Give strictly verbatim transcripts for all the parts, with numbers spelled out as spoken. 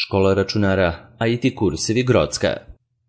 Škola računara I T kursevi Grocka.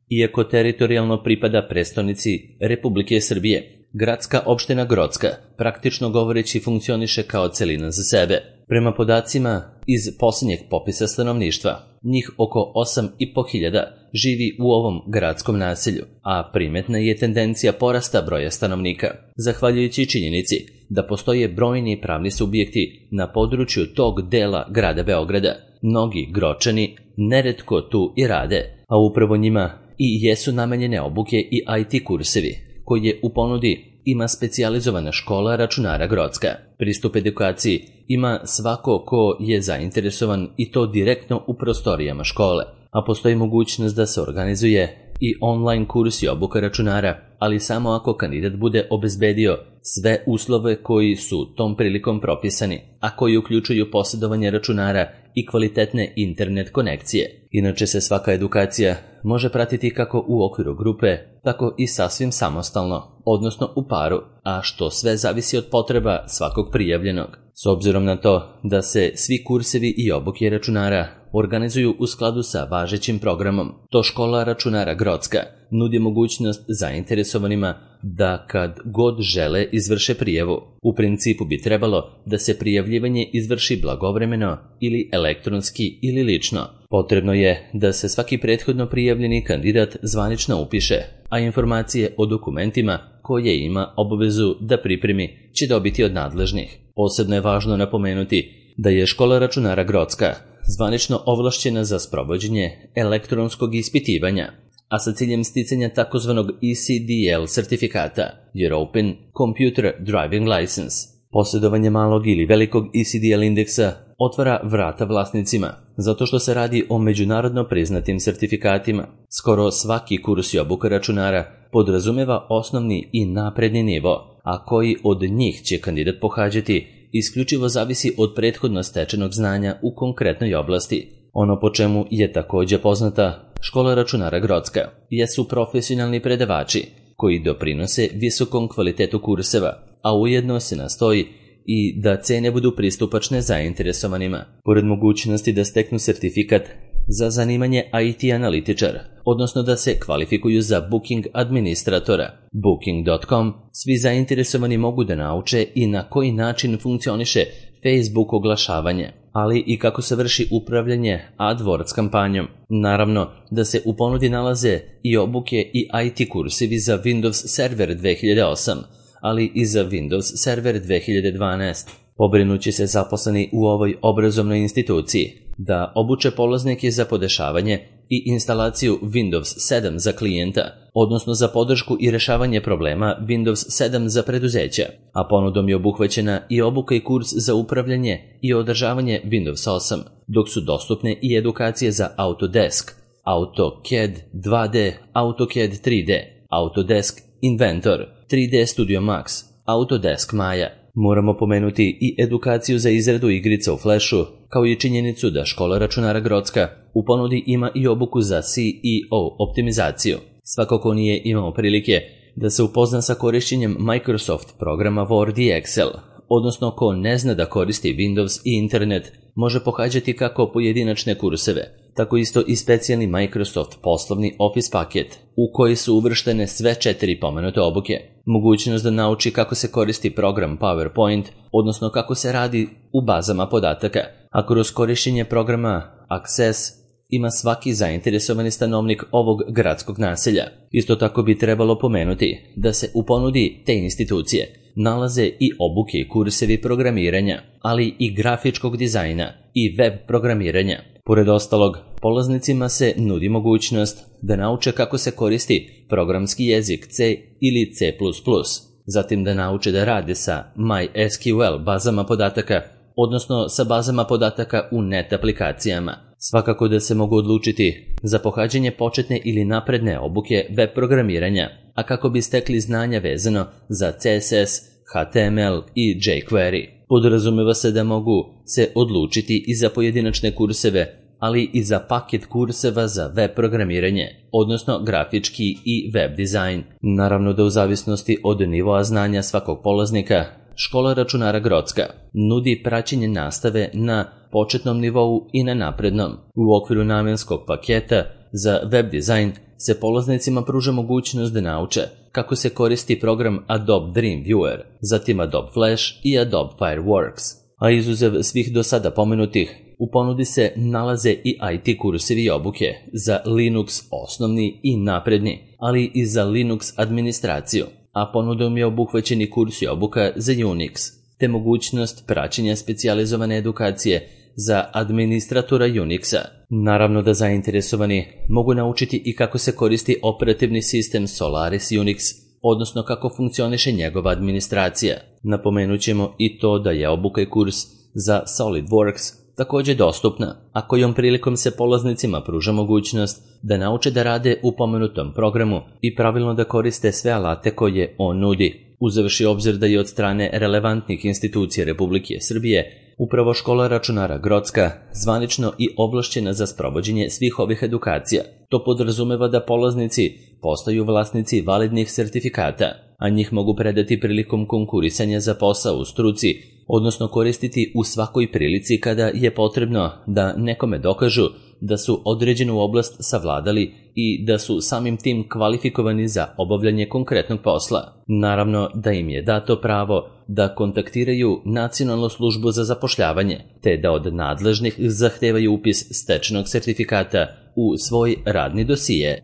Iako teritorijalno pripada prestonici Republike Srbije, gradska opština Grocka praktično govoreći funkcioniše kao celina za sebe. Prema podacima iz posljednjeg popisa stanovništva, njih oko osam i po hiljada živi u ovom gradskom naselju, a primetna je tendencija porasta broja stanovnika, zahvaljujući činjenici da postoje brojni pravni subjekti na području tog dela grada Beograda. Mnogi Gročani neretko tu i rade, a upravo njima i jesu namenjene obuke i I T kursevi, koje u ponudi ima specijalizovana škola računara Grocka. Pristup edukaciji ima svako ko je zainteresovan i to direktno u prostorijama škole, a postoji mogućnost da se organizuje i online kurs i obuka računara, ali samo ako kandidat bude obezbedio sve uslove koji su tom prilikom propisani, a koji uključuju posjedovanje računara i kvalitetne internet konekcije. Inače se svaka edukacija može pratiti kako u okviru grupe, tako i sasvim samostalno, odnosno u paru, a što sve zavisi od potreba svakog prijavljenog. S obzirom na to da se svi kursevi i obuke računara organizuju u skladu sa važećim programom, to škola računara Grocka nudi mogućnost zainteresovanima da kad god žele izvrše prijavu. U principu bi trebalo da se prijavljivanje izvrši blagovremeno ili elektronski ili lično. Potrebno je da se svaki prethodno prijavljeni kandidat zvanično upiše, a informacije o dokumentima koje ima obavezu da pripremi će dobiti od nadležnih. Posebno je važno napomenuti da je škola računara Grocka zvanično ovlašćena za sprovođenje elektronskog ispitivanja, a sa ciljem sticanja takozvanog E C D L sertifikata, European Computer Driving License. Posjedovanje malog ili velikog E C D L indeksa otvara vrata vlasnicima, zato što se radi o međunarodno priznatim sertifikatima. Skoro svaki kurs i obuka računara podrazumeva osnovni i napredni nivo, a koji od njih će kandidat pohađati isključivo zavisi od prethodno stečenog znanja u konkretnoj oblasti. Ono po čemu je također poznata škola računara Grocka jesu profesionalni predavači koji doprinose visokom kvalitetu kurseva, a ujedno se nastoji i da cene budu pristupačne zainteresovanima. Pored mogućnosti da steknu sertifikat za zanimanje I T analitičar, odnosno da se kvalifikuju za booking administratora, booking dot com, svi zainteresovani mogu da nauče i na koji način funkcioniše Facebook oglašavanje, ali i kako se vrši upravljanje AdWords kampanjom. Naravno da se u ponudi nalaze i obuke i I T kursevi za Windows Server dve hiljade osam, ali i za Windows Server dve hiljade dvanaest. Pobrinući se zaposleni u ovoj obrazovnoj instituciji da obuče polaznike za podešavanje i instalaciju Windows sedam za klijenta, odnosno za podršku i rešavanje problema Windows sedam za preduzeća, a ponudom je obuhvaćena i obuka i kurs za upravljanje i održavanje Windows osam, dok su dostupne i edukacije za Autodesk, AutoCAD dva D, AutoCAD tri D, Autodesk Inventor, tri D Studio Max, Autodesk Maya. Moramo pomenuti i edukaciju za izradu igrica u Flashu, kao i činjenicu da škola računara Grocka u ponudi ima i obuku za C E O optimizaciju. Svako ko nije imao prilike da se upozna sa korišćenjem Microsoft programa Word i Excel, odnosno ko ne zna da koristi Windows i internet, može pohađati kako pojedinačne kurseve, tako isto i specijalni Microsoft poslovni Office paket, u koji su uvrštene sve četiri pomenute obuke. Mogućnost da nauči kako se koristi program PowerPoint, odnosno kako se radi u bazama podataka, a kroz korišćenje programa Access ima svaki zainteresovani stanovnik ovog gradskog naselja. Isto tako bi trebalo pomenuti da se u ponudi te institucije nalaze i obuke i kursevi programiranja, ali i grafičkog dizajna i web programiranja. Pored ostalog, polaznicima se nudi mogućnost da nauče kako se koristi programski jezik C ili C plus plus, zatim da nauče da rade sa MySQL bazama podataka, odnosno sa bazama podataka u net aplikacijama. Svakako da se mogu odlučiti za pohađanje početne ili napredne obuke web programiranja, a kako bi stekli znanja vezano za C S S, H T M L i jQuery. Podrazumeva se da mogu se odlučiti i za pojedinačne kurseve, ali i za paket kurseva za web programiranje, odnosno grafički i web dizajn. Naravno da u zavisnosti od nivoa znanja svakog polaznika, škola računara Grocka nudi praćenje nastave na početnom nivou i na naprednom. U okviru namenskog paketa za web dizajn se polaznicima pruža mogućnost da nauče kako se koristi program Adobe Dreamweaver, zatim Adobe Flash i Adobe Fireworks. A izuzev svih do sada pomenutih, u ponudi se nalaze i I T kursevi i obuke za Linux osnovni i napredni, ali i za Linux administraciju, a ponudom je obuhvaćen i kurs i obuka za Unix, te mogućnost praćenja specijalizovane edukacije za administratora Unixa. Naravno da zainteresovani mogu naučiti i kako se koristi operativni sistem Solaris Unix, odnosno kako funkcioniše njegova administracija. Napomenut ćemo i to da je obuka i kurs za SolidWorks također dostupna, a kojom prilikom se polaznicima pruža mogućnost da nauče da rade u pomenutom programu i pravilno da koriste sve alate koje on nudi. Uzevši obzir da je od strane relevantnih institucija Republike Srbije upravo škola računara Grocka zvanično i ovlašćena za sprovođenje svih ovih edukacija. To podrazumeva da polaznici postaju vlasnici validnih sertifikata, a njih mogu predati prilikom konkurisanja za posao u struci, odnosno koristiti u svakoj prilici kada je potrebno da nekome dokažu da su određenu oblast savladali i da su samim tim kvalifikovani za obavljanje konkretnog posla. Naravno da im je dato pravo da kontaktiraju Nacionalnu službu za zapošljavanje, te da od nadležnih zahtevaju upis stečenog sertifikata u svoj radni dosije.